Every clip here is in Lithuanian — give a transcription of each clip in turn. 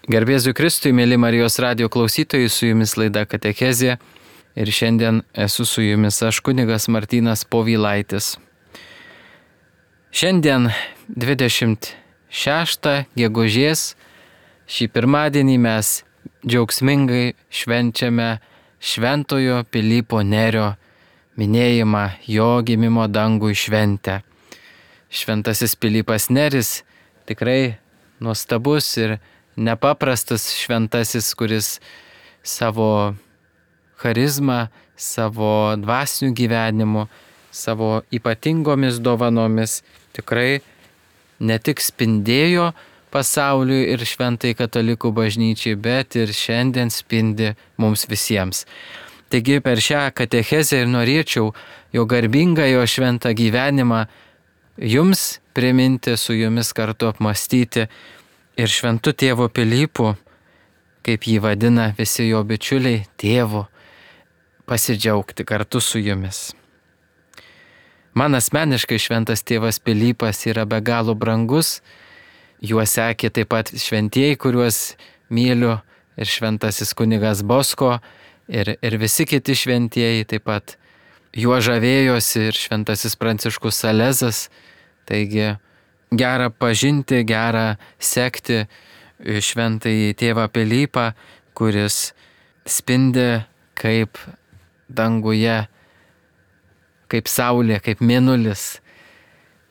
Garbėsiu Kristui, mėly Marijos radijo klausytojai, su jumis laida Katechezė ir šiandien esu su jumis aš kunigas Martynas Povilaitis. Šiandien 26 gegužės, šį pirmadienį mes džiaugsmingai švenčiame Šventojo Pilypo Nerio minėjimą, jo gimimo dangui šventę. Šventasis Pilypas Neris tikrai nuostabus ir nepaprastas šventasis, kuris savo charizmą, savo dvasiniu gyvenimu, savo ypatingomis dovanomis tikrai ne tik spindėjo pasauliui ir šventai katalikų bažnyčiai, bet ir šiandien spindi mums visiems. Taigi per šią katechezę ir norėčiau jo garbingą, jo šventą gyvenimą jums priminti, su jumis kartu apmąstyti ir šventu tėvu Pilypu, kaip jį vadina visi jo bičiuliai, tėvu, pasidžiaugti kartu su jumis. Man asmeniškai šventas tėvas Pilypas yra be galo brangus, juo sekė taip pat šventieji, kuriuos myliu, ir šventasis kunigas Bosko, ir visi kiti šventieji taip pat juo žavėjosi, ir šventasis Pranciškus Salezas. Taigi gera pažinti, gera sekti šventąjį tėvą Pilypą, kuris spindi kaip danguje, kaip saulė, kaip mėnulis.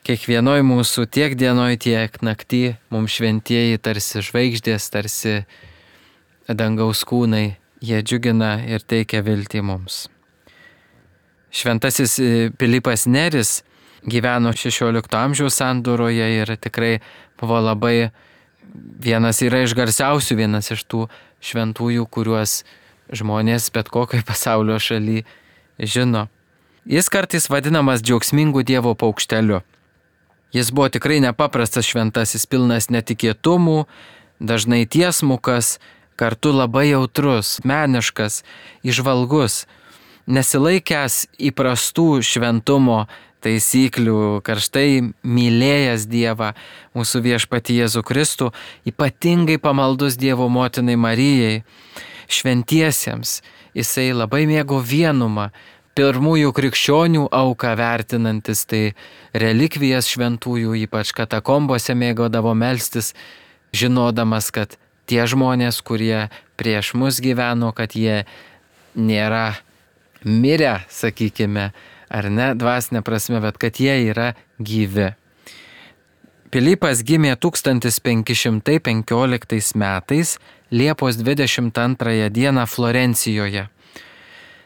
Kiekvienoj mūsų tiek dienoj, tiek naktį mums šventieji tarsi žvaigždės, tarsi dangaus kūnai, jie džiugina ir teikia viltį mums. Šventasis Pilypas Neris gyveno 16 amžiaus sandūroje ir tikrai buvo labai vienas iš garsiausių, vienas iš tų šventųjų, kuriuos žmonės bet kokioje pasaulio šalyje žino. Jis kartais vadinamas džiaugsmingų Dievo paukšteliu. Jis buvo tikrai nepaprastas šventasis, pilnas netikėtumų, dažnai tiesmukas, kartu labai jautrus, meniškas, įžvalgus, nesilaikęs įprastų šventumo taisyklių, karštai mylėjęs Dievą, mūsų viešpatį Jėzų Kristų, ypatingai pamaldus Dievo motinai Marijai, šventiesiems. Jisai labai mėgo vienumą, pirmųjų krikščionių auką vertinantis, tai relikvijas šventųjų, ypač katakombose mėgodavo melstis, žinodamas, kad tie žmonės, kurie prieš mus gyveno, kad jie nėra mirę, sakykime, ar ne, dvasinė prasme, bet kad jie yra gyvi. Pilypas gimė 1515 metais, Liepos 22 dieną Florencijoje.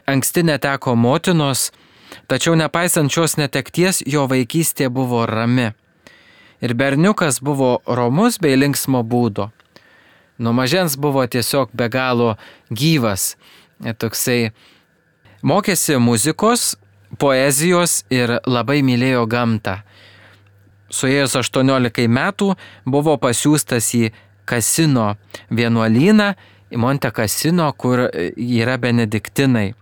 Anksti neteko motinos, tačiau nepaisant šios netekties, jo vaikystė buvo rami. Ir berniukas buvo romus bei linksmo būdo. Nuo mažens buvo tiesiog be galo gyvas. Toksai mokėsi muzikos, poezijos ir labai mylėjo gamtą. Suėjus 18 metų buvo pasiųstas į Kasino vienuolyną, į Monte Kasino, kur yra benediktinai,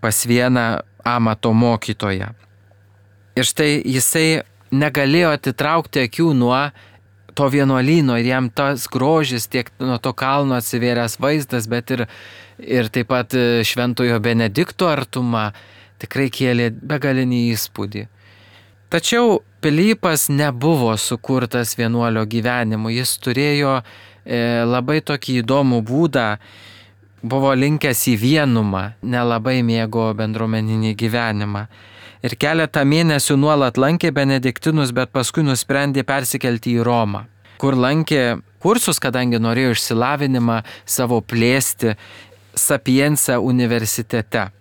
pas vieną amato mokytoją. Ir štai jisai negalėjo atitraukti akių nuo to vienuolyno ir jam tas grožis, tiek nuo to kalno atsivėręs vaizdas, bet ir taip pat šventojo Benedikto artuma tikrai kėlė begalinį įspūdį. Tačiau Pilypas nebuvo sukurtas vienuolio gyvenimu, jis turėjo labai tokį įdomų būdą, buvo linkęs į vienumą, nelabai mėgo bendruomeninį gyvenimą. Ir keletą mėnesių nuolat lankė benediktinus, bet paskui nusprendė persikelti į Romą, kur lankė kursus, kadangi norėjo išsilavinimą savo plėsti Sapienza universitete.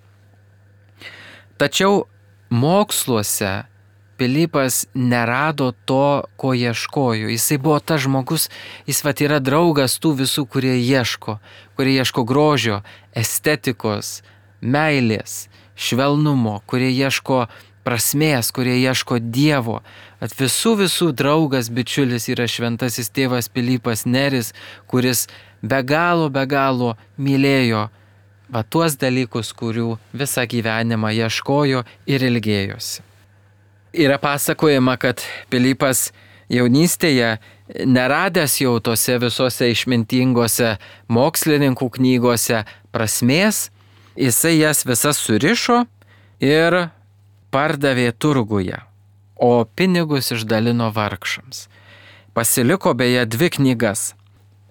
Tačiau moksluose Pilypas nerado to, ko ieškojo. Jisai buvo tas žmogus, jis yra draugas tų visų, kurie ieško grožio, estetikos, meilės, švelnumo, kurie ieško prasmės, kurie ieško Dievo. At visų draugas, bičiulis yra šventasis tėvas Pilypas Neris, kuris be galo mylėjo tuos dalykus, kurių visą gyvenimą ieškojo ir ilgėjosi. Yra pasakojama, kad Pilypas jaunystėje neradęs jau tose visose išmintingose mokslininkų knygose prasmės, jisai jas visas surišo ir pardavė turguje, o pinigus išdalino vargšams. Pasiliko beje 2 knygas –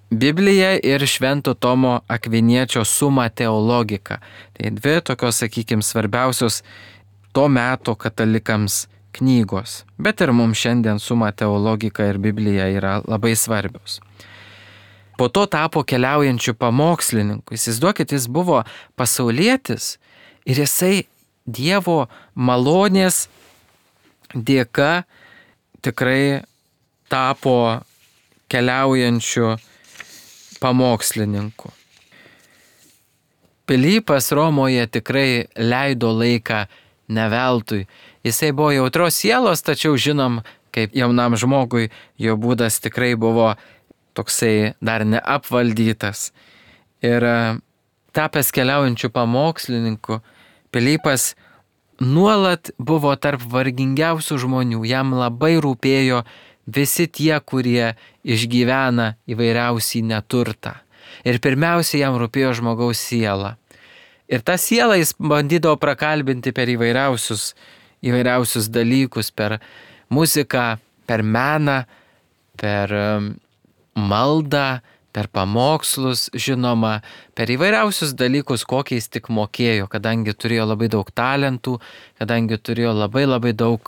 Biblija ir Švento Tomo Akviniečio Summa Theologica. Tai 2 tokios, sakykime, svarbiausios to meto katalikams knygos. Bet ir mums šiandien Summa Theologica ir Biblija yra labai svarbios. Po to tapo keliaujančiu pamokslininku. Įsivaizduokit, jis buvo pasaulietis ir jisai Dievo malonės dėka tikrai tapo keliaujančiu pamokslininku. Pilypas Romoje tikrai leido laiką ne veltui. Jisai buvo jautros sielos, tačiau žinom, kaip jaunam žmogui jo būdas tikrai buvo toksai dar neapvaldytas. Ir tapęs keliaujančiu pamokslininku, Pilypas nuolat buvo tarp vargingiausių žmonių. Jam labai rūpėjo visi tie, kurie išgyvena įvairiausią neturtą. Ir pirmiausia, jam rūpėjo žmogaus siela. Ir tą sielą jis bandydavo prakalbinti per įvairiausius dalykus, per muziką, per meną, per maldą, per pamokslus, žinoma, per įvairiausius dalykus, kokiais tik mokėjo, kadangi turėjo labai daug talentų, kadangi turėjo labai daug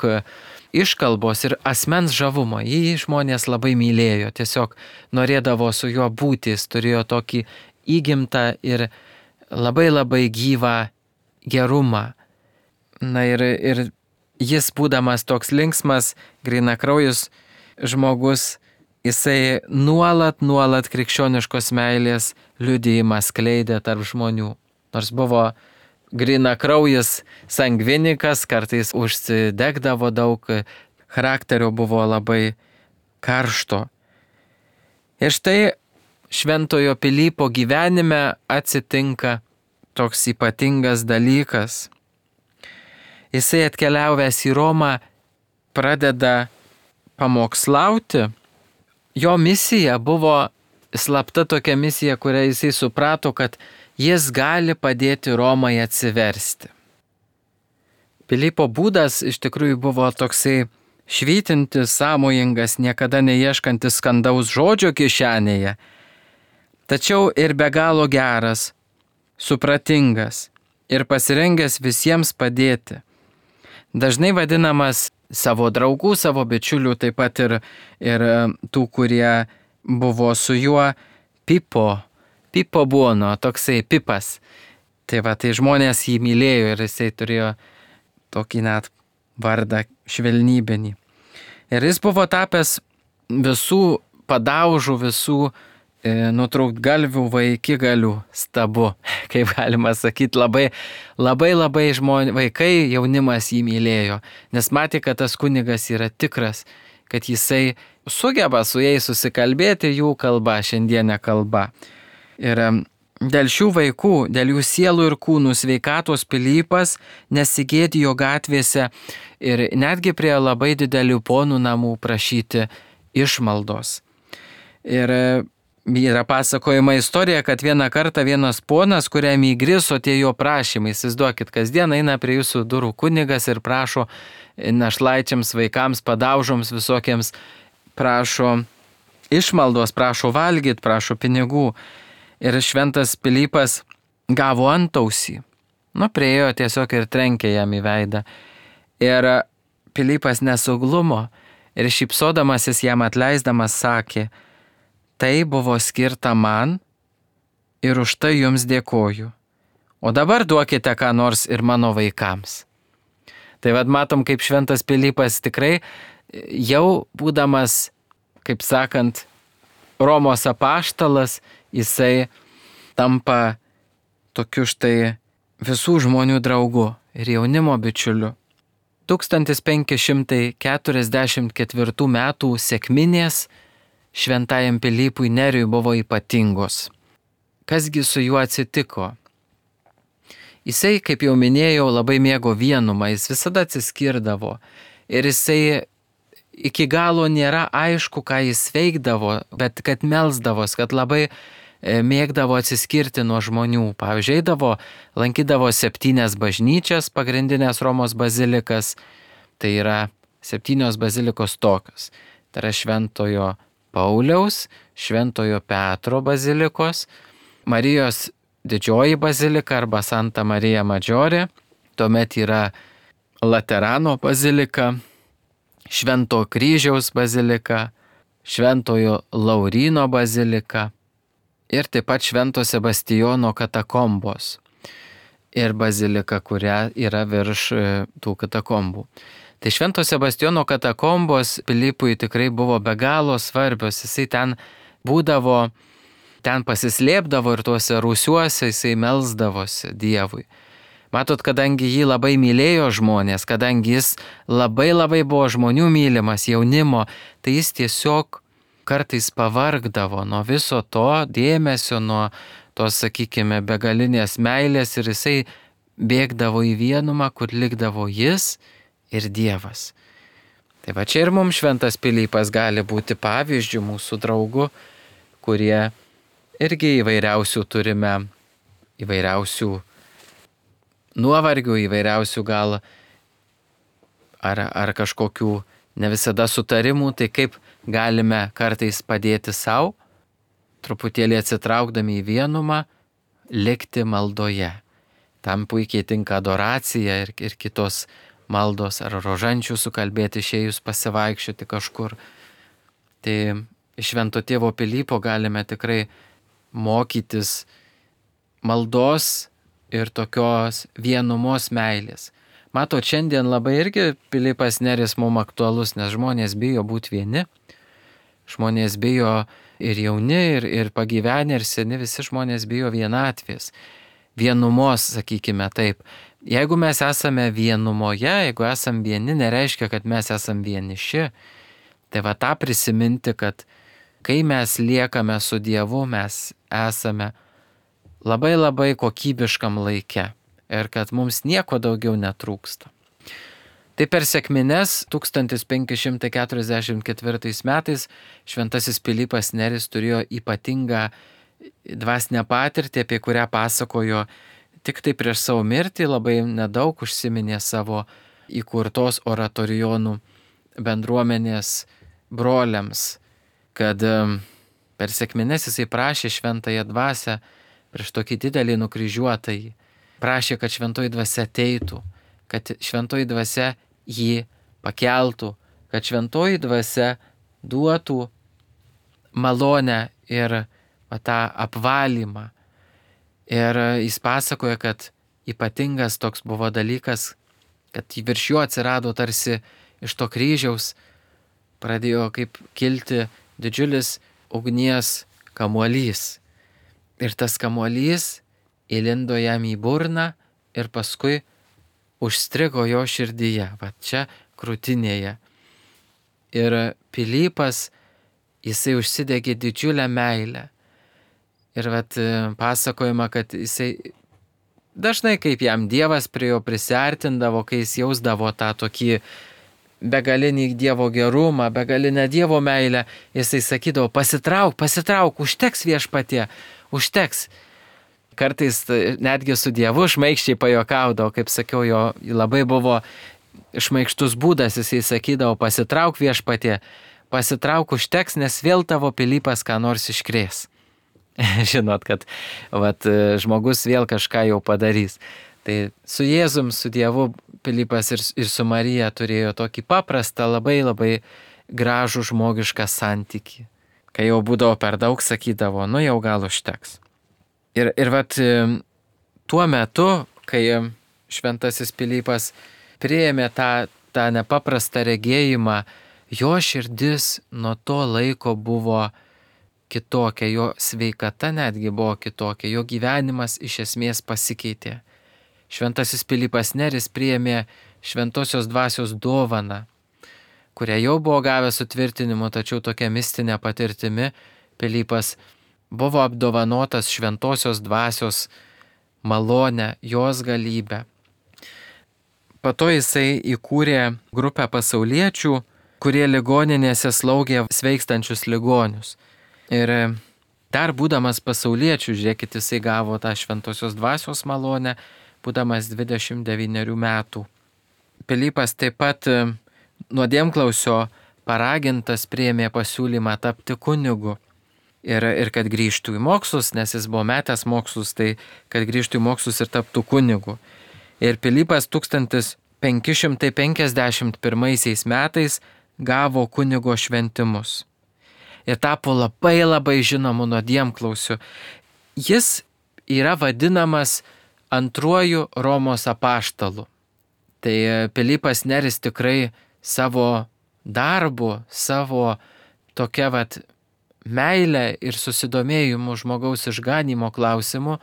iškalbos ir asmens žavumo. Jį žmonės labai mylėjo, tiesiog norėdavo su juo būti, jis turėjo tokį įgimtą ir labai gyvą gerumą. Na ir jis, būdamas toks linksmas, grynakraujus žmogus, jisai nuolat krikščioniškos meilės liudijimą skleidė tarp žmonių. Nors buvo grynakraujis sangvinikas, kartais užsidegdavo daug, charakterio buvo labai karšto. Ir štai Šventojo Pilypo gyvenime atsitinka toks ypatingas dalykas. Jisai atkeliavęs į Romą pradeda pamokslauti. Jo misija buvo slapta tokia misija, kurią jisai suprato, kad jis gali padėti Romai atsiversti. Pilypo būdas iš tikrųjų buvo toksai švytintis, sąmojingas, niekada neieškantis skandaus žodžio kišenėje, tačiau ir be galo geras, supratingas ir pasirengęs visiems padėti. Dažnai vadinamas savo draugų, savo bičiulių, taip pat ir tų, kurie buvo su juo, Pipo buono, toksai Pipas. Tai žmonės jį mylėjo ir jisai turėjo tokį net vardą švelnybinį. Ir jis buvo tapęs visų padaužų, visų nutrūktgalvių vaikigalių stabu, kaip galima sakyti, labai vaikai, jaunimas jį mylėjo, nes matė, kad tas kunigas yra tikras, kad jisai sugeba su jais susikalbėti jų kalba, šiandienė kalba. Ir dėl šių vaikų, dėl jų sielų ir kūnų sveikatos Pilypas nesigėdijo gatvėse ir netgi prie labai didelių ponų namų prašyti išmaldos. Ir yra pasakojama istorija, kad vieną kartą vienas ponas, kuriam įgriso tie jo prašymai, įsivaizduokit, kasdien eina prie jūsų durų kunigas ir prašo našlaičiams, vaikams, padaužoms visokiems, prašo išmaldos, prašo valgyti, prašo pinigų. Ir šventas Pilypas gavo antausį. Priėjo tiesiog ir trenkė jam į veidą. Ir Pilypas nesuglumo ir šypsodamasis jam atleisdamas sakė: tai buvo skirta man ir už tai jums dėkoju. O dabar duokite ką nors ir mano vaikams. Tai matom, kaip šventas Pilypas tikrai jau būdamas, kaip sakant, Romos apaštalas, jisai tampa tokiu štai visų žmonių draugu ir jaunimo bičiuliu. 1544 metų sekminės šventajam Pilypui Neriui buvo ypatingos. Kasgi su juo atsitiko? Jisai, kaip jau minėjau, labai mėgo vienumą, jis visada atsiskirdavo ir jisai iki galo nėra aišku, ką jis veikdavo, bet kad melsdavos, kad labai mėgdavo atsiskirti nuo žmonių. Pavyzdžiui, lankydavo 7 bažnyčias, pagrindinės Romos bazilikas, tai yra 7 bazilikos tokios. Tai yra Šventojo Pauliaus, Šventojo Petro bazilikos, Marijos didžioji bazilika arba Santa Marija Maggiore, tuomet yra Laterano bazilika, Švento Kryžiaus bazilika, Šventojo Lauryno bazilika ir taip pat Švento Sebastijono katakombos ir bazilika, kuria yra virš tų katakombų. Tai Švento Sebastijono katakombos Pilypui tikrai buvo be galo svarbios. Jisai ten būdavo, ten pasislėpdavo ir tuose rūsiuose jisai melsdavosi Dievui. Matot, kadangi jį labai mylėjo žmonės, kadangi jis labai buvo žmonių mylimas, jaunimo, tai jis tiesiog kartais pavargdavo nuo viso to dėmesio, nuo tos, sakykime, begalinės meilės ir jisai bėgdavo į vienumą, kur likdavo jis ir Dievas. Tai va čia ir mums šventas Pilypas gali būti pavyzdžių mūsų draugų, kurie irgi įvairiausių turime, įvairiausių nuovargių, įvairiausių gal ar kažkokių ne visada sutarimų, tai kaip galime kartais padėti savo, truputėlį atsitraukdami į vienumą, likti maldoje. Tam puikiai tinka adoracija ir kitos maldos ar rožančių sukalbėti, išėjus pasivaikščioti kažkur. Tai iš Švento tėvo Pilypo galime tikrai mokytis maldos ir tokios vienumos meilės. Matot, šiandien labai irgi Pilypas Neris mums aktualus, nes žmonės bijo būti vieni. Žmonės bijo ir jauni, ir pagyvenę, ir seni, visi žmonės bijo vienatvės. Vienumos, sakykime taip. Jeigu mes esame vienumoje, jeigu esame vieni, nereiškia, kad mes esame vieniši. Tai va tą prisiminti, kad kai mes liekame su Dievu, mes esame labai kokybiškam laike ir kad mums nieko daugiau netrūksta. Tai per sekmines 1544 metais šventasis Pilypas Neris turėjo ypatingą dvasinę patirtį, apie kurią pasakojo tik tai prieš savo mirtį, labai nedaug užsiminė savo įkurtos oratorijonų bendruomenės broliams, kad per sekmines jisai prašė šventąją dvasią prieš tokį didelį nukryžiuotąjį. Prašė, kad šventoji dvasia ateitų, kad šventoji dvasia jį pakeltų, kad šventoji dvasia duotų malonę ir tą apvalymą. Ir jis pasakoja, kad ypatingas toks buvo dalykas, kad virš jo atsirado tarsi iš to kryžiaus, pradėjo kaip kilti didžiulis ugnies kamuolys. Ir tas kamuolys įlindo jam į burną ir paskui užstrigo jo širdyje, va čia krūtinėje. Ir Pilypas, jisai užsidegė didžiulę meilę. Ir pasakojama, kad jisai dažnai kaip jam Dievas prie jo prisiartindavo, kai jis jausdavo tą tokį begalinį Dievo gerumą, begalinę Dievo meilę, jisai sakydavo, pasitrauk, užteks Viešpatie, užteks. Kartais netgi su Dievu šmaikščiai pajuokaudavo, kaip sakiau, jo labai buvo šmaikštus būdas, jisai sakydavo, pasitrauk Viešpatie, pasitrauk, užteks, nes vėl tavo Pilypas ką nors iškrės. Žinot, kad žmogus vėl kažką jau padarys. Tai su Jėzum, su Dievu Pilypas ir su Marija turėjo tokį paprastą, labai gražų žmogišką santykį. Kai jau būdavo per daug, sakydavo, nu jau gal užteks. Ir tuo metu, kai šventasis Pilypas priėmė tą nepaprastą regėjimą, jo širdis nuo to laiko buvo kitokia, jo sveikata netgi buvo kitokia, jo gyvenimas iš esmės pasikeitė. Šventasis Pilypas Neris priėmė šventosios dvasios dovaną, kurią jau buvo gavęs sutvirtinimu, tačiau tokia mistinė patirtimi Pilypas buvo apdovanotas šventosios dvasios malonę, jos galybę. Po to jisai įkūrė grupę pasauliečių kurie ligoninėse slaugė sveikstančius ligonius. Ir dar būdamas pasauliečiu, žiūrėkit, jisai gavo tą šventosios dvasios malonę, būdamas 29 metų. Pilypas taip pat nuodėmklausio paragintas priėmė pasiūlymą tapti kunigu. Ir kad grįžtų į mokslus, nes jis buvo metęs mokslus, tai kad grįžtų į mokslus ir taptų kunigu. Ir Pilypas 1551 metais gavo kunigo šventimus. Ir tapo labai žinomu nuodėmklausiu. Jis yra vadinamas antruoju Romos apaštalu. Tai Pilypas Neris tikrai savo darbu, savo tokia meilę ir susidomėjimu žmogaus išganymo klausimu,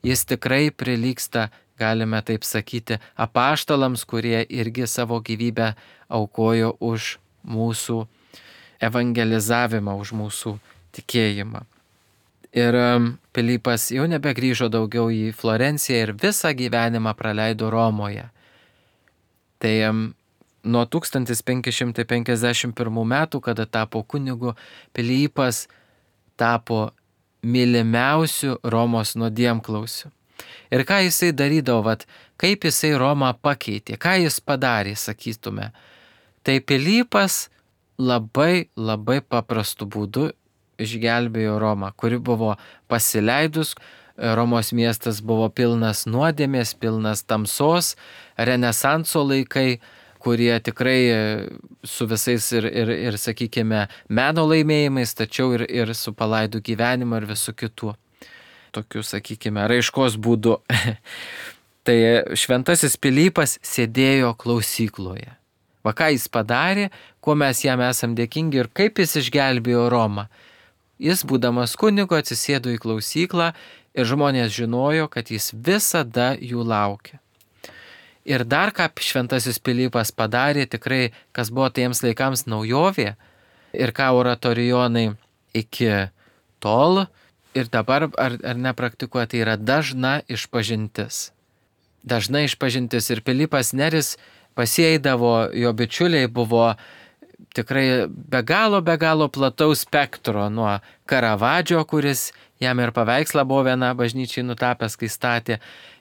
jis tikrai prilygsta, galime taip sakyti, apaštalams, kurie irgi savo gyvybę aukojo už mūsų evangelizavimą, už mūsų tikėjimą. Ir Pilypas jau nebegrįžo daugiau į Florenciją ir visą gyvenimą praleido Romoje. Tai nuo 1551 metų, kada tapo kunigu, Pilypas tapo mylimiausiu Romos nuodėmklausiu. Ir ką jisai darydavo, kaip jisai Romą pakeitė, ką jis padarė, sakytume. Tai Pilypas labai paprastu būdu išgelbėjo Romą, kuri buvo pasileidus. Romos miestas buvo pilnas nuodėmės, pilnas tamsos, Renesanso laikai, kurie tikrai su visais ir sakykime, meno laimėjimais, tačiau ir su palaidų gyvenimu ir visų kitų. Tokiu, sakykime, raiškos būdu. Tai šventasis Pilypas sėdėjo klausykloje. Ką jis padarė, kuo mes jam esam dėkingi ir kaip jis išgelbėjo Romą. Jis, būdamas kunigu, atsisėdo į klausyklą ir žmonės žinojo, kad jis visada jų laukia. Ir dar ką šventasis Pilypas padarė, tikrai, kas buvo tiems laikams naujovė ir ką oratorijonai iki tol ir dabar ar nepraktikuoja, tai yra dažna išpažintis. Dažna išpažintis ir Pilypas Neris pasieidavo, jo bičiuliai buvo tikrai be galo plataus spektro, nuo Karavadžio, kuris jam ir paveikslą buvo viena bažnyčiai nutapęs, kai statė,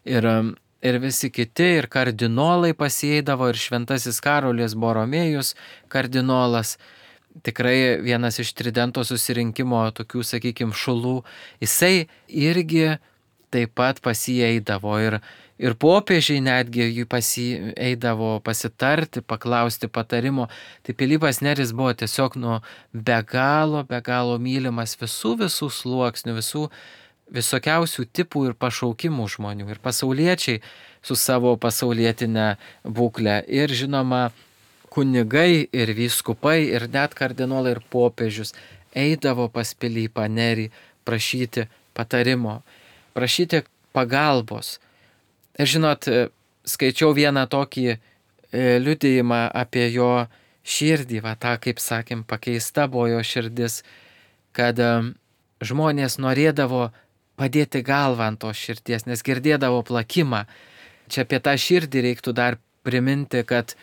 ir visi kiti, ir kardinolai pasieidavo, ir šventasis Karolis Boromėjus kardinolas, tikrai vienas iš Tridento susirinkimo tokių, sakykime, šulų, jisai irgi taip pat pasieidavo ir popiežiai netgi jų pasieidavo pasitarti, paklausti patarimo. Tai Pilypas Neris buvo tiesiog be galo mylimas visų sluoksnių, visokiausių tipų ir pašaukimų žmonių. Ir pasauliečiai su savo pasaulietinė būklė. Ir žinoma, kunigai ir vyskupai ir net kardinolai ir popiežius eidavo pas Pilypą Nerį prašyti patarimo, prašyti pagalbos. Ir žinot, skaičiau vieną tokį liudijimą apie jo širdį, tą, kaip sakėm, pakeista buvo jo širdis, kad žmonės norėdavo padėti galvą ant tos širdies, nes girdėdavo plakimą. Čia apie tą širdį reiktų dar priminti, kad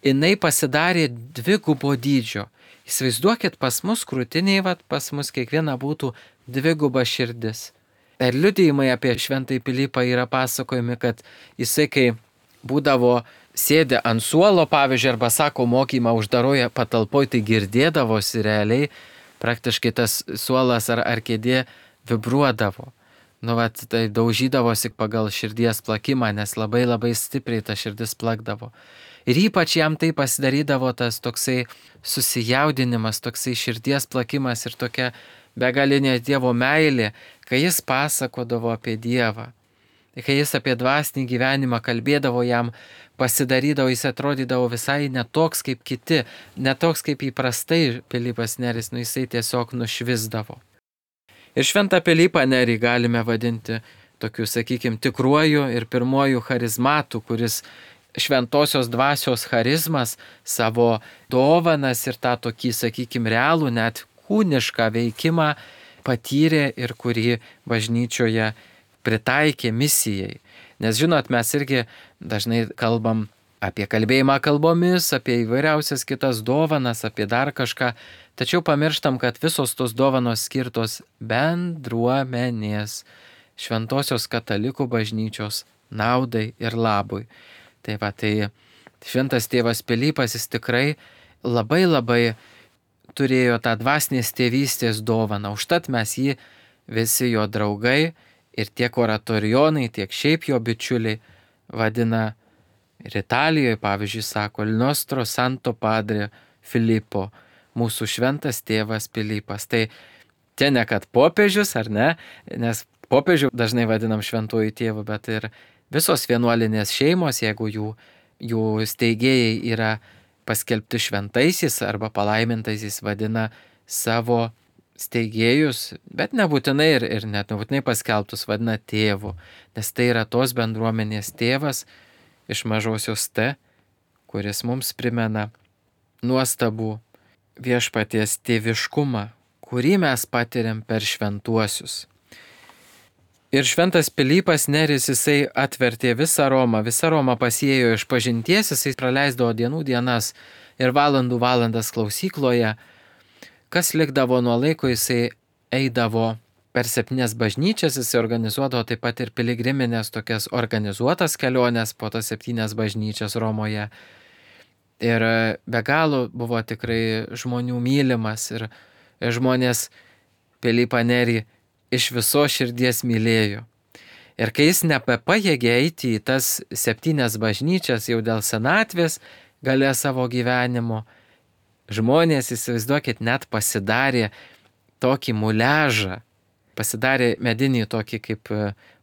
jinai pasidarė dvigubo dydžio. Įsivaizduokit, pas mus krūtiniai, pas mus kiekviena būtų dviguba širdis. Ir liudijimai apie šventąjį Pilypą yra pasakojami, kad jisai, kai būdavo sėdė ant suolo, pavyzdžiui, arba sako mokymą uždaroje patalpoje, tai girdėdavosi realiai, praktiškai tas suolas ar kėdė vibruodavo. Tai daužydavosi pagal širdies plakimą, nes labai stipriai ta širdis plakdavo. Ir ypač jam tai pasidarydavo tas toksai susijaudinimas, toksai širdies plakimas ir tokia begalinė Dievo meilė, kai jis pasakodavo apie Dievą. Kai jis apie dvasinį gyvenimą kalbėdavo, jam pasidarydavo, jis atrodydavo visai netoks kaip kiti, netoks kaip įprastai Pilypas Neris, jisai tiesiog nušvisdavo. Ir šventą Pilypą Nerį galime vadinti tokiu, sakykime, tikruoju ir pirmuoju charizmatu, kuris šventosios dvasios charizmas, savo dovanas ir tą tokį, sakykime, realų, net kūnišką veikimą patyrė ir kurį bažnyčioje pritaikė misijai. Nes žinot, mes irgi dažnai kalbam apie kalbėjimą kalbomis, apie įvairiausias kitas dovanas, apie dar kažką. Tačiau pamirštam, kad visos tos dovanos skirtos bendruomenės, šventosios katalikų bažnyčios naudai ir labui. Tai šventas tėvas Pilypas, jis tikrai labai turėjo tą dvasinės tėvystės dovaną. Užtat mes jį, visi jo draugai ir tiek oratorijonai, tiek šiaip jo bičiuliai vadina ir Italijoje, pavyzdžiui, sako Il nostro santo padre Filippo, mūsų šventas tėvas Pilypas. Tai čia ne kad popiežius, ar ne, nes popiežių dažnai vadinam šventuoju tėvu, bet ir visos vienuolinės šeimos, jeigu jų steigėjai yra paskelbti šventaisiais arba palaimintaisiais, vadina savo steigėjus, bet nebūtinai ir net nebūtinai paskelbtus vadina tėvu, nes tai yra tos bendruomenės tėvas iš mažosios T, kuris mums primena nuostabų viešpaties tėviškumą, kurį mes patiriam per šventuosius. Ir šventas Pilypas Neris, jisai atvertė visą Romą pasiėjo iš pažinties, jisai praleisdavo dienų dienas ir valandų valandas klausykloje. Kas likdavo nuo laiko, jisai eidavo per 7 bažnyčias, jisai organizuodavo taip pat ir piligriminės tokias organizuotas keliones po tas 7 bažnyčias Romoje. Ir be galo buvo tikrai žmonių mylimas ir žmonės Pilypą Nerį iš viso širdies mylėjo. Ir kai jis nebepajėgė eiti į tas 7 bažnyčias jau dėl senatvės gale savo gyvenimo, žmonės, įsivaizduokit, net pasidarė tokį muliažą, pasidarė medinį tokį kaip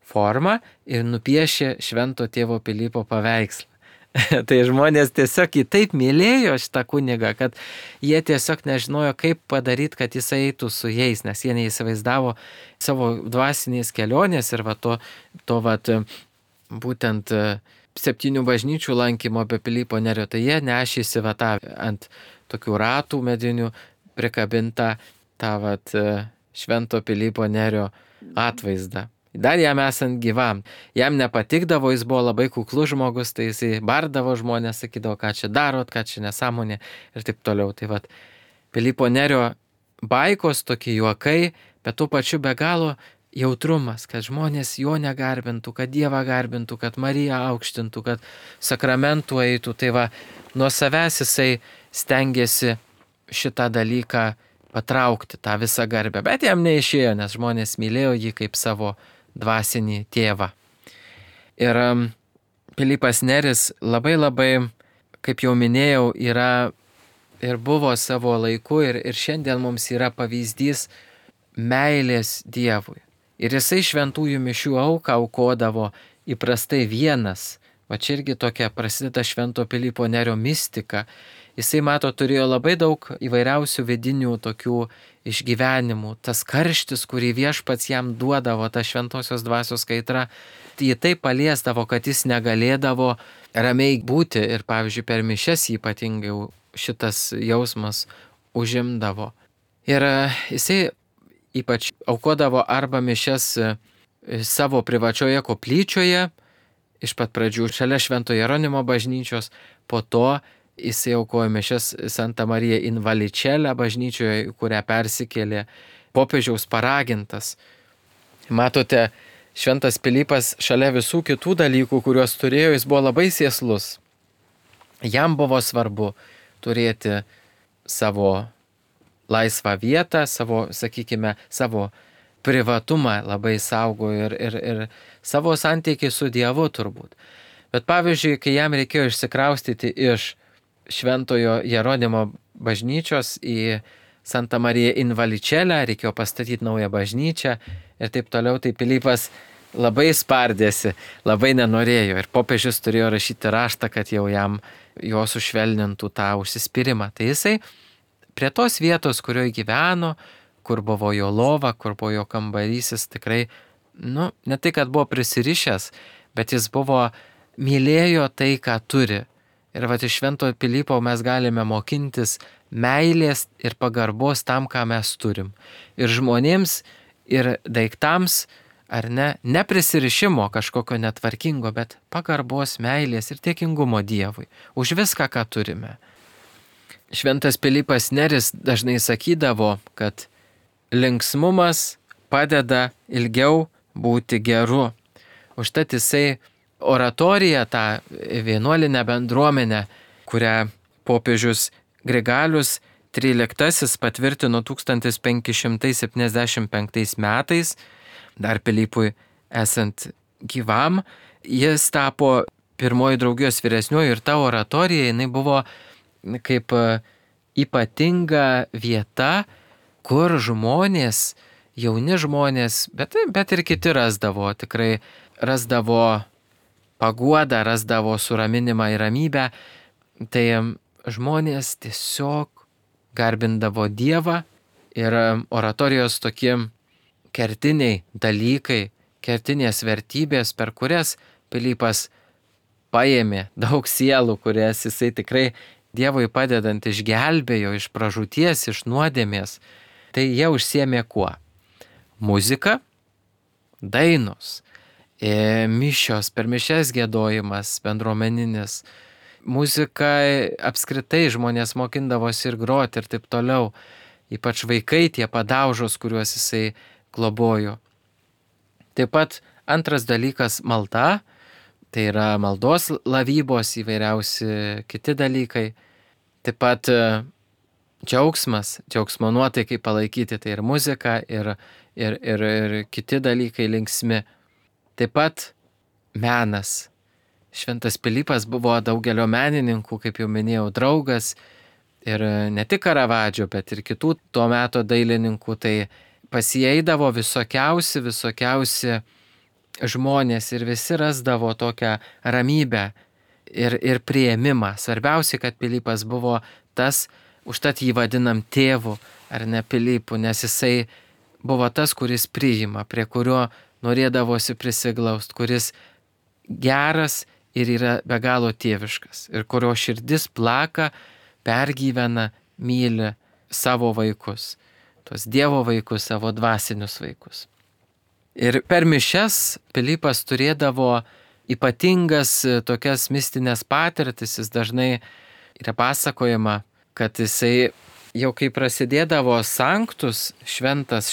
formą ir nupiešė švento tėvo Pilypo paveikslą. Tai žmonės tiesiog jį taip mylėjo šitą kunigą, kad jie tiesiog nežinojo, kaip padaryti, kad jis eitų su jais, nes jie neįsivaizdavo savo dvasinės kelionės ir būtent 7 bažnyčių lankymo be Pilypo Nerio, tai jie nešėsi ant tokių ratų medinių prikabintą tą švento Pilypo Nerio atvaizdą. Dar jam esant gyvam. Jam nepatikdavo, jis buvo labai kuklus žmogus, tai jisai bardavo žmonės, sakydavo, ką čia darot, ką čia nesąmonė ir taip toliau. Tai Pilypo Nerio baikos, tokie juokai, bet tuo pačiu be galo jautrumas, kad žmonės jo negarbintų, kad Dievą garbintų, kad Mariją aukštintų, kad sakramentų eitų. Tai nuo savęs jisai stengiasi šitą dalyką patraukti, tą visą garbę. Bet jam neišėjo, nes žmonės mylėjo jį kaip savo dvasinį tėvą. Ir Pilypas Neris labai, kaip jau minėjau, yra ir buvo savo laiku ir šiandien mums yra pavyzdys meilės Dievui. Ir jisai šventųjų mišių auką aukodavo įprastai vienas. Čia irgi tokia prasideda švento Pilypo Nerio mistika. Jisai, turėjo labai daug įvairiausių vidinių tokių išgyvenimų. Tas karštis, kurį viešpats jam duodavo, ta šventosios dvasios kaitra, jį taip paliesdavo, kad jis negalėdavo ramiai būti. Ir pavyzdžiui, per mišias ypatingai šitas jausmas užimdavo. Ir jisai ypač aukodavo arba mišias savo privačioje koplyčioje, iš pat pradžių šalia Švento Jeronimo bažnyčios, po to jisai aukojo mišias Santa Marija in Vallicella bažnyčioje, kurią persikėlė popiežiaus paragintas. Matote, šventas Pilypas šalia visų kitų dalykų, kuriuos turėjo, jis buvo labai sėslus. Jam buvo svarbu turėti savo laisvą vietą, savo privatumą labai saugojo ir savo santykį su Dievu turbūt. Bet pavyzdžiui, kai jam reikėjo išsikraustyti iš Šventojo Jeronimo bažnyčios į Santa Marija in Vallicella, reikėjo pastatyti naują bažnyčią ir taip toliau, tai Pilypas labai spardėsi, labai nenorėjo ir popiežius turėjo rašyti raštą, kad jau jo sušvelnintų tą užsispyrimą. Tai jisai prie tos vietos, kurioje gyveno, kur buvo jo lova, kur buvo jo kambarys, jis tikrai, ne tai, kad buvo prisirišęs, bet jis mylėjo tai, ką turi. Ir iš Švento Pilypo mes galime mokintis meilės ir pagarbos tam, ką mes turim. Ir žmonėms, ir daiktams ar ne prisirišimo kažkokio netvarkingo, bet pagarbos, meilės ir dėkingumo Dievui už viską, ką turime. Šventas Pilypas Neris dažnai sakydavo, kad linksmumas padeda ilgiau būti geru. Užtat jisai oratoriją, tą vienuolinę bendruomenę, kurią popiežius Grigalius XIII patvirtino 1575 metais, dar Pilypui esant gyvam, jis tapo pirmoji draugijos vyresniuoju ir ta oratorija, jinai buvo kaip ypatinga vieta, kur žmonės, jauni žmonės, bet ir kiti tikrai rasdavo paguodą, rasdavo suraminimą ir ramybę. Tai žmonės tiesiog garbindavo Dievą ir oratorijos tokie kertiniai dalykai, kertinės vertybės, per kurias Pilypas paėmė daug sielų, kurias jisai tikrai Dievui padedant išgelbėjo iš pražūties, iš nuodėmės. Tai jie užsiėmė kuo? Muzika, dainos, mišios, per mišias giedojimas bendruomeninis, muzika apskritai žmonės mokindavosi ir groti ir taip toliau, ypač vaikai, tie padaužos, kuriuos jisai globojo. Taip pat antras dalykas - malda, tai yra maldos lavybos, įvairiausi kiti dalykai. Taip pat džiaugsmo nuotaikai palaikyti, tai ir muzika, ir kiti dalykai linksmi. Taip pat menas. Šventas Pilypas buvo daugelio menininkų, kaip jau minėjau, draugas ir ne tik Karavadžio, bet ir kitų tuo meto dailininkų. Tai pasieidavo visokiausi žmonės ir visi rasdavo tokią ramybę ir priėmimą. Svarbiausia, kad Pilypas buvo tas, užtat jį vadinam tėvu ar ne Pilypu, nes jisai buvo tas, kuris priima, prie kurio norėdavosi prisiglaust, kuris geras ir yra be galo tėviškas ir kurio širdis plaka, pergyvena, myli savo vaikus, tuos Dievo vaikus, savo dvasinius vaikus. Ir per mišias Pilypas turėdavo ypatingas tokias mistinės patirtis, jis dažnai yra pasakojama, kad jisai jau kai prasidėdavo sanktus, šventas,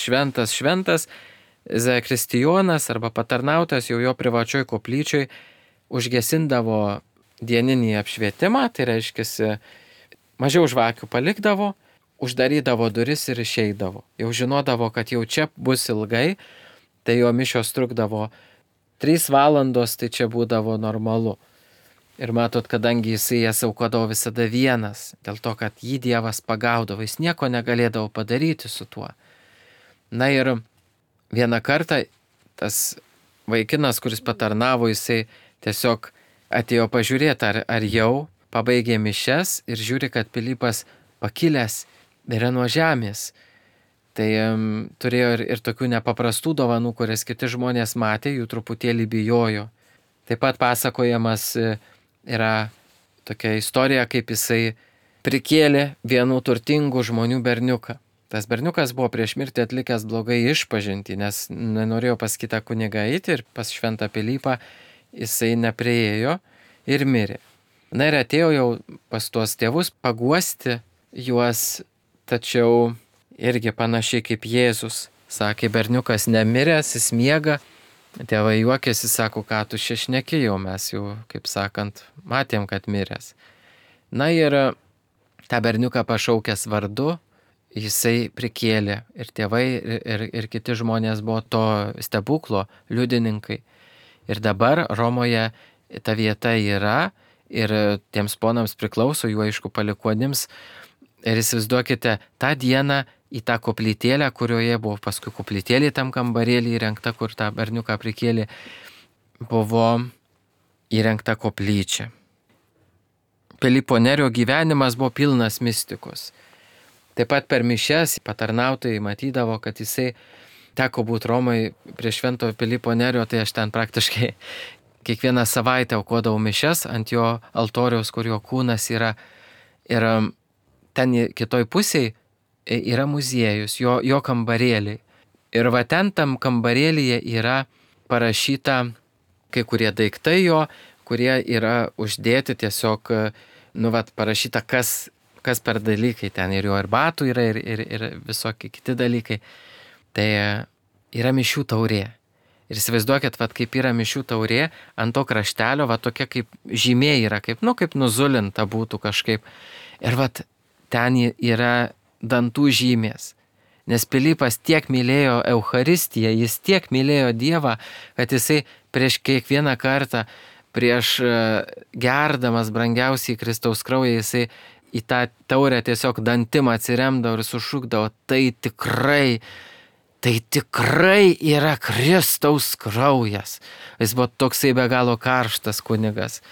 zakristijonas arba patarnautas jau jo privačioj koplyčioj užgesindavo dieninį apšvietimą, tai reiškia, mažiau žvakių palikdavo, uždarydavo duris ir išeidavo. Jau žinodavo, kad jau čia bus ilgai, tai jo mišios trukdavo 3 valandos, tai čia būdavo normalu. Ir matot, kadangi jisai jas aukodavo visada vienas, dėl to, kad jį Dievas pagaudavo, jis nieko negalėdavo padaryti su tuo. Na ir vieną kartą tas vaikinas, kuris patarnavo, jisai tiesiog atėjo pažiūrėti, ar jau pabaigė mišias ir žiūri, kad Pilypas pakilęs yra nuo žemės. Tai turėjo ir tokių nepaprastų dovanų, kurias kiti žmonės matė, jų truputėlį bijojo. Taip pat pasakojamas yra tokia istorija, kaip jisai prikėlė vienų turtingų žmonių berniuką. Tas berniukas buvo prieš mirtį atlikęs blogai išpažintį, nes nenorėjo pas kitą kunigą eiti ir pas šventą Pilypą jisai nepriėjo ir mirė. Na ir atėjo jau pas tuos tėvus paguosti juos, tačiau irgi panašiai kaip Jėzus. Sakė, berniukas nemiręs, jis miega. Tėvai juokėsi, sako, ką tu šneki, jau mes jau, kaip sakant, matėm, kad miręs. Na ir tą berniuką pašaukęs vardu, jisai prikėlė ir tėvai ir kiti žmonės buvo to stebuklo liudininkai. Ir dabar Romoje ta vieta yra ir tiems ponams priklauso, jų aišku palikuonims. Ir įsivaizduokite, tą dieną į tą koplytėlę, kurioje buvo paskui koplytėlė tam kambarėlį įrengta, kur tą berniuką prikėlė, buvo įrengta koplyčia. Pilypo Nerio gyvenimas buvo pilnas mistikos. Taip pat per mišias patarnautojai matydavo, kad jisai teko būti Romai prie švento Pilypo Nerio, tai aš ten praktiškai kiekvieną savaitę aukodavau mišias ant jo altoriaus, kur jo kūnas yra. Ir ten kitoj pusėje yra muziejus, jo kambarėliai. Ir va ten tam kambarėlyje yra parašyta kai kurie daiktai jo, kurie yra uždėti tiesiog, parašyta, kas per dalykai ten, ir jo ir batų yra, ir visokie kiti dalykai. Tai yra mišių taurė. Ir įsivaizduokit, kaip yra mišių taurė, ant to kraštelio, tokia kaip žymė yra, kaip nuzulinta būtų kažkaip. Ir ten yra dantų žymės. Nes Pilypas tiek mylėjo Eucharistiją, jis tiek mylėjo Dievą, kad jisai prieš kiekvieną kartą, prieš gerdamas brangiausiai Kristaus kraują, jisai į tą taurę tiesiog dantim atsiremdavo ir sušukdavo, tai tikrai yra Kristaus kraujas. Jis buvo toksai be galo karštas kunigas.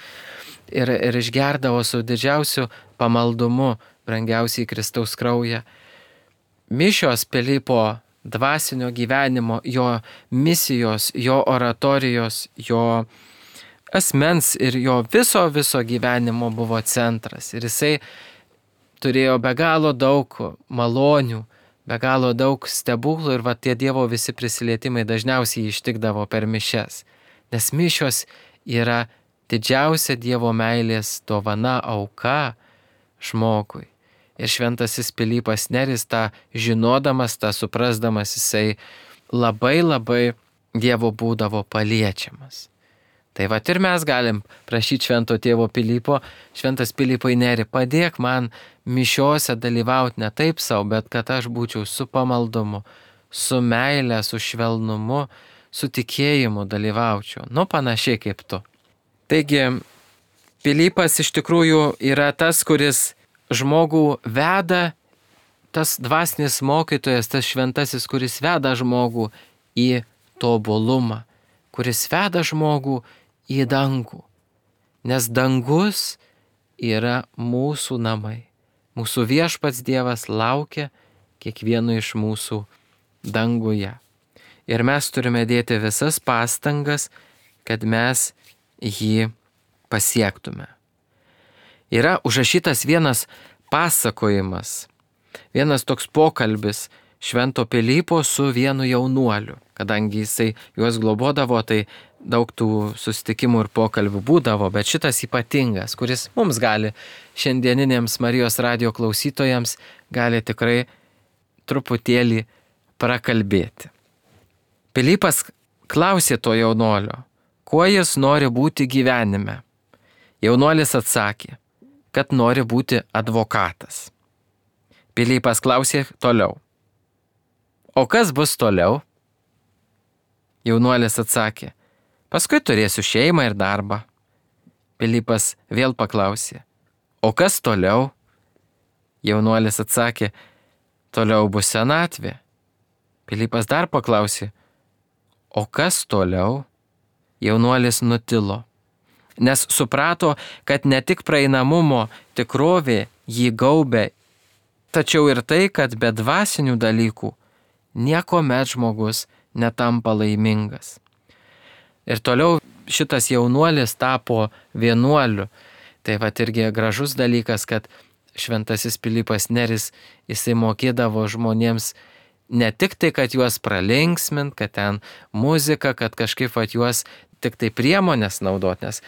Ir išgerdavo su didžiausiu pamaldumu brangiausiai Kristaus kraują. Mišios Pilypo dvasinio gyvenimo, jo misijos, jo oratorijos, jo asmens ir jo viso gyvenimo buvo centras. Ir jisai turėjo be galo daug malonių, be galo daug stebuklų ir tie Dievo visi prisilietimai dažniausiai ištikdavo per mišias. Nes mišios yra didžiausia Dievo meilės dovana, auka žmogui. Ir šventasis Pilypas Neris tą žinodamas, tą suprasdamas, jisai labai Dievo būdavo paliečiamas. Tai ir mes galim prašyti švento tėvo Pilypo, šventas Pilypai Neri, padėk man mišiose dalyvauti ne taip savo, bet kad aš būčiau su pamaldumu, su meile, su švelnumu, su tikėjimu dalyvaučiau. Panašiai kaip tu. Taigi, Pilypas iš tikrųjų yra tas, kuris žmogų veda, tas dvasinis mokytojas, tas šventasis, kuris veda žmogų į tobulumą, kuris veda žmogų į dangų. Nes dangus yra mūsų namai. Mūsų viešpats Dievas laukia kiekvieno iš mūsų danguje. Ir mes turime dėti visas pastangas, kad mes jį pasiektume. Yra užrašytas vienas pasakojimas, vienas toks pokalbis švento Pilypo su vienu jaunuoliu. Kadangi jisai juos globodavo, tai daug tų susitikimų ir pokalbių būdavo, bet šitas ypatingas, kuris mums gali, šiandieninėms Marijos radijo klausytojams, gali tikrai truputėlį prakalbėti. Pilypas klausė to jaunuolio, kuo jis nori būti gyvenime. Jaunuolis atsakė, kad nori būti advokatas. Pilypas klausė toliau, o kas bus toliau? Jaunuolis atsakė, paskui turėsiu šeimą ir darbą. Pilypas vėl paklausė, o kas toliau? Jaunuolis atsakė, toliau bus senatvė. Pilypas dar paklausė, o kas toliau? Jaunuolis nutilo, nes suprato, kad ne tik praeinamumo tikrovė jį gaubė, tačiau ir tai, kad be dvasinių dalykų niekuomet žmogus netampa laimingas. Ir toliau šitas jaunuolis tapo vienuoliu. Tai irgi gražus dalykas, kad šventasis Pilypas Neris, jisai mokėdavo žmonėms ne tik tai, kad juos pralinksmint, kad ten muzika, kad kažkaip juos tik tai priemonės naudot, nes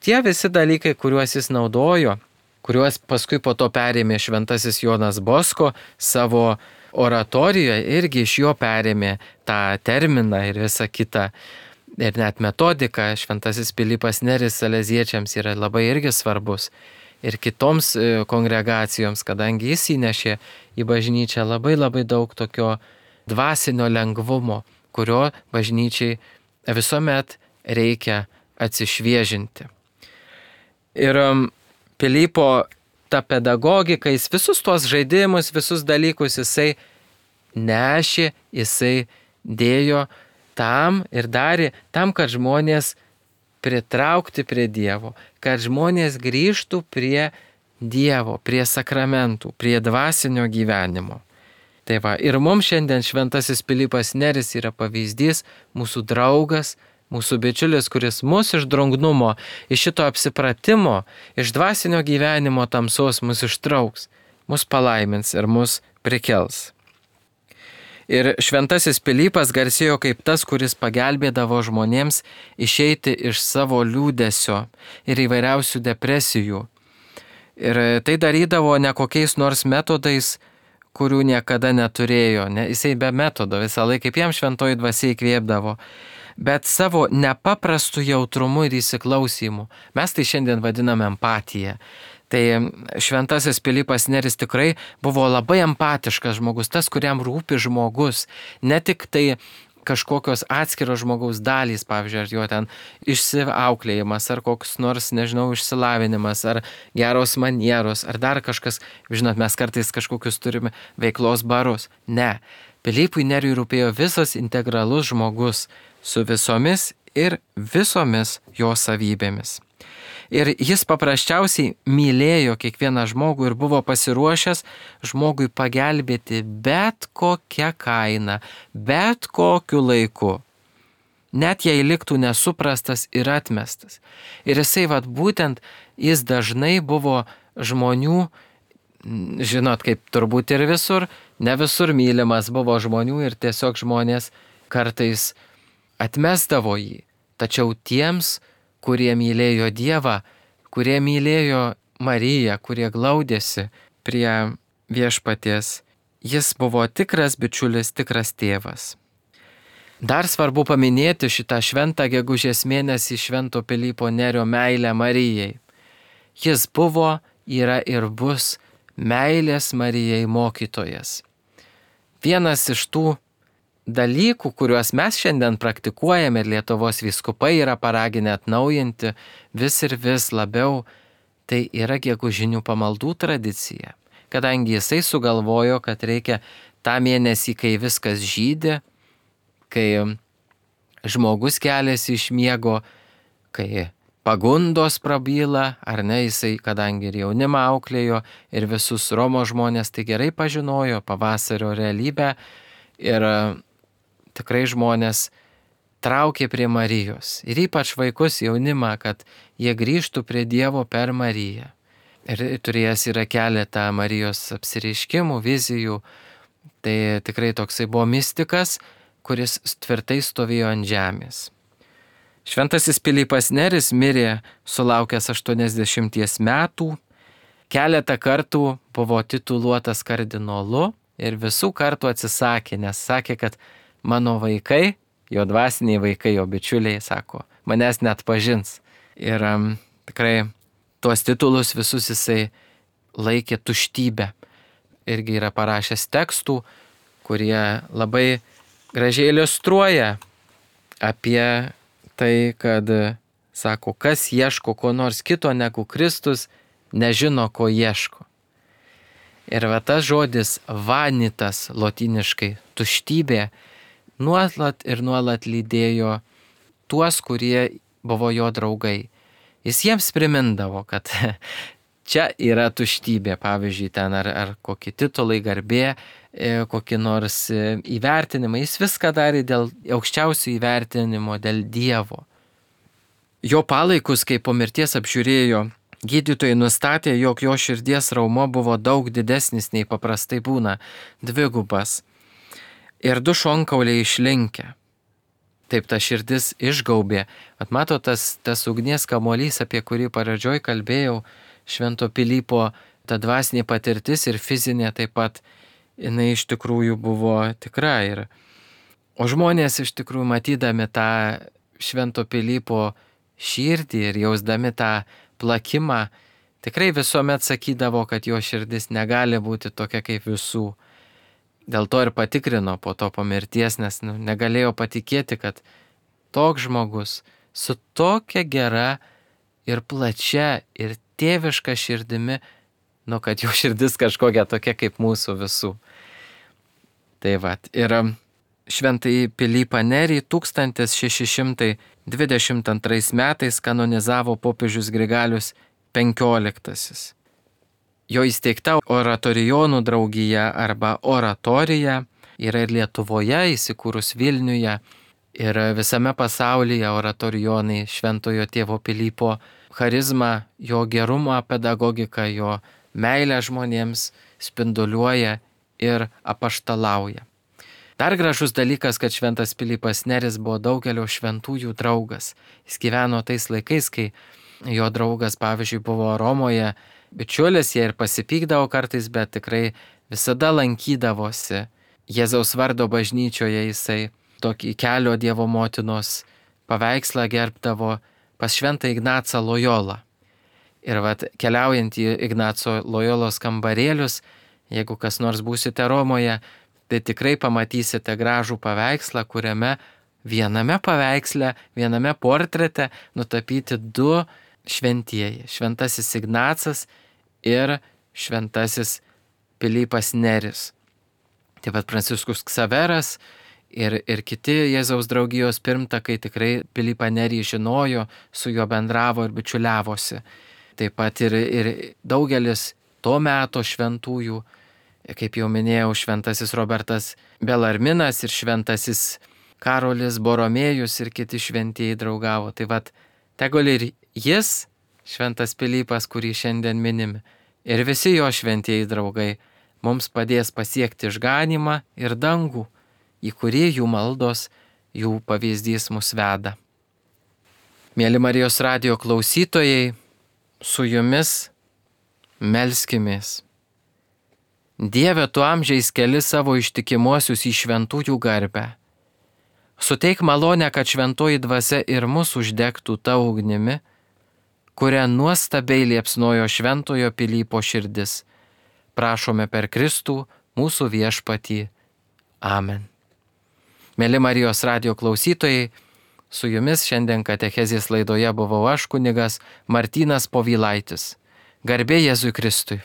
tie visi dalykai, kuriuos jis naudojo, kuriuos paskui po to perėmė šventasis Jonas Bosko savo oratorijoje, irgi iš jo perėmė tą terminą ir visą kitą. Ir net metodika šventasis Pilypas Neris saleziečiams yra labai irgi svarbus. Ir kitoms kongregacijoms, kadangi jis įnešė į bažnyčią labai daug tokio dvasinio lengvumo, kurio bažnyčiai visuomet reikia atsišviežinti. Ir Pilypo ta pedagogika, jis visus tuos žaidimus, visus dalykus jisai nešė, jisai dėjo tam ir darė tam, kad žmonės pritraukti prie Dievo, kad žmonės grįžtų prie Dievo, prie sakramentų, prie dvasinio gyvenimo. Tai ir mums šiandien šventasis Pilypas Neris yra pavyzdys, mūsų draugas, mūsų bičiulis, kuris mus iš drungnumo, iš šito apsipratimo, iš dvasinio gyvenimo tamsos mus ištrauks, mus palaimins ir mus prikels. Ir šventasis Pilypas garsėjo kaip tas, kuris pagelbėdavo žmonėms išeiti iš savo liūdesio ir įvairiausių depresijų. Ir tai darydavo ne kokiais nors metodais, kurių niekada neturėjo. Jisai be metodo visą laiką, kaip jam šventoji dvasia įkvėpdavo, bet savo nepaprastu jautrumu ir įsiklausymu. Mes tai šiandien vadiname empatiją. Tai šventasis Pilypas Neris tikrai buvo labai empatiškas žmogus, tas, kuriam rūpi žmogus, ne tik tai kažkokios atskiros žmogaus dalys, pavyzdžiui, ar jo ten išsiauklėjimas, ar koks nors, išsilavinimas, ar geros manieros, ar dar kažkas, žinot, mes kartais kažkokius turime veiklos barus. Ne, Pilypui Neriui rūpėjo visas integralus žmogus su visomis ir visomis jo savybėmis. Ir jis paprasčiausiai mylėjo kiekvieną žmogų ir buvo pasiruošęs žmogui pagelbėti bet kokią kainą, bet kokiu laiku. Net jei liktų nesuprastas ir atmestas. Ir jisai būtent, jis dažnai buvo žmonių, žinot, kaip turbūt ir visur, ne visur mylimas buvo žmonių ir tiesiog žmonės kartais atmesdavo jį. Tačiau tiems, kurie mylėjo Dievą, kurie mylėjo Mariją, kurie glaudėsi prie viešpaties, jis buvo tikras bičiulis, tikras tėvas. Dar svarbu paminėti šitą šventą gegužės mėnesį švento Pilypo Nerio meilę Marijai. Jis buvo, yra ir bus meilės Marijai mokytojas. Vienas iš tų dalykų, kuriuos mes šiandien praktikuojame ir Lietuvos vyskupai yra paraginę atnaujinti vis ir vis labiau, tai yra gegužinių pamaldų tradicija. Kadangi jisai sugalvojo, kad reikia tą mėnesį, kai viskas žydi, kai žmogus keliasi iš miego, kai pagundos prabyla, ar ne, jisai, kadangi ir jaunimą auklėjo ir visus Romos žmonės tai gerai pažinojo pavasario realybę ir tikrai žmonės traukė prie Marijos ir ypač vaikus, jaunimą, kad jie grįžtų prie Dievo per Mariją. Ir turėjęs yra keletą Marijos apsireiškimų, vizijų, tai tikrai toksai buvo mistikas, kuris tvirtai stovėjo ant žemės. Šventasis Pilypas Neris mirė sulaukęs 80 metų, keletą kartų buvo tituluotas kardinolu ir visų kartų atsisakė, nes sakė, kad mano vaikai, jo dvasiniai vaikai, jo bičiuliai, sako, manęs net pažins. Ir tikrai tuos titulus visus jisai laikė tuštybę. Irgi yra parašęs tekstų, kurie labai gražiai iliustruoja apie tai, kad, sako, kas ieško ko nors kito negu Kristus, nežino, ko ieško. Ir tas žodis vanitas, lotyniškai tuštybė, nuolat ir nuolat lydėjo tuos, kurie buvo jo draugai. Jis jiems primindavo, kad čia yra tuštybė, pavyzdžiui, ten ar kokie titulai, garbė, kokie nors įvertinimai. Jis viską darė dėl aukščiausių įvertinimo, dėl Dievo. Jo palaikus, kai po mirties apžiūrėjo, gydytojai nustatė, jog jo širdies raumuo buvo daug didesnis nei paprastai būna, dvigubas. Ir du šonkauliai išlinkę. Taip ta širdis išgaubė. Mato tas ugnies kamuolys, apie kurį pradžioj kalbėjau, švento Pilypo, ta dvasinė patirtis ir fizinė taip pat, jinai iš tikrųjų buvo tikra. O žmonės iš tikrųjų matydami tą švento Pilypo širdį ir jausdami tą plakimą, tikrai visuomet sakydavo, kad jo širdis negali būti tokia kaip visų. Dėl to ir patikrino po to po mirties, nes negalėjo patikėti, kad toks žmogus su tokia gera ir plačia ir tėviška širdimi, kad jo širdis kažkokia tokia kaip mūsų visų. Tai ir šventąjį Pilypą Nerį 1622 metais kanonizavo popiežius Grigalius XV. Jo įsteigta oratorijonų draugija arba oratorija yra ir Lietuvoje, įsikūrus Vilniuje, ir visame pasaulyje oratorijonai šventojo tėvo Pilypo charizmą, jo gerumą, pedagogiką, jo meilę žmonėms spinduliuoja ir apaštalauja. Dar gražus dalykas, kad šventas Pilypas Neris buvo daugelio šventųjų draugas. Jis gyveno tais laikais, kai jo draugas, pavyzdžiui, buvo Romoje bičiulis, jie ir pasipykdavo kartais, bet tikrai visada lankydavosi. Jėzaus vardo bažnyčioje jisai tokį kelio Dievo motinos paveikslą gerbdavo pas šventą Ignacą Lojolą. Ir keliaujant į Ignaco Lojolos kambarėlius, jeigu kas nors būsite Romoje, tai tikrai pamatysite gražų paveikslą, kuriame viename paveiksle, viename portrete nutapyti du šventieji. Šventasis Ignacas ir šventasis Pilypas Neris. Taip pat Pranciškus Ksaveras ir kiti Jėzaus draugijos pirmtakai tikrai Pilypą Nerį žinojo, su juo bendravo ir bičiuliavosi. Taip pat ir daugelis to meto šventųjų, kaip jau minėjau, šventasis Robertas Belarminas ir šventasis Karolis Boromėjus ir kiti šventieji draugavo. Tai tegul ir jis, šventas Pilypas, kurį šiandien minime, ir visi jo šventieji draugai mums padės pasiekti išganymą ir dangų, į kurį jų maldos, jų pavyzdys mus veda. Mėly Marijos radijo klausytojai, su jumis melskimės. Dieve, tu amžiais keli savo ištikimuosius į šventųjų garbę. Suteik malonę, kad šventoji dvasia ir mus uždegtų ta ugnimi, kurią nuostabiai liepsnojo šventojo Pilypo širdis. Prašome per Kristų, mūsų viešpatį. Amen. Mėly Marijos radijo klausytojai, su jumis šiandien katechezės laidoje buvau aš, kunigas Martynas Povilaitis. Garbė Jėzui Kristui.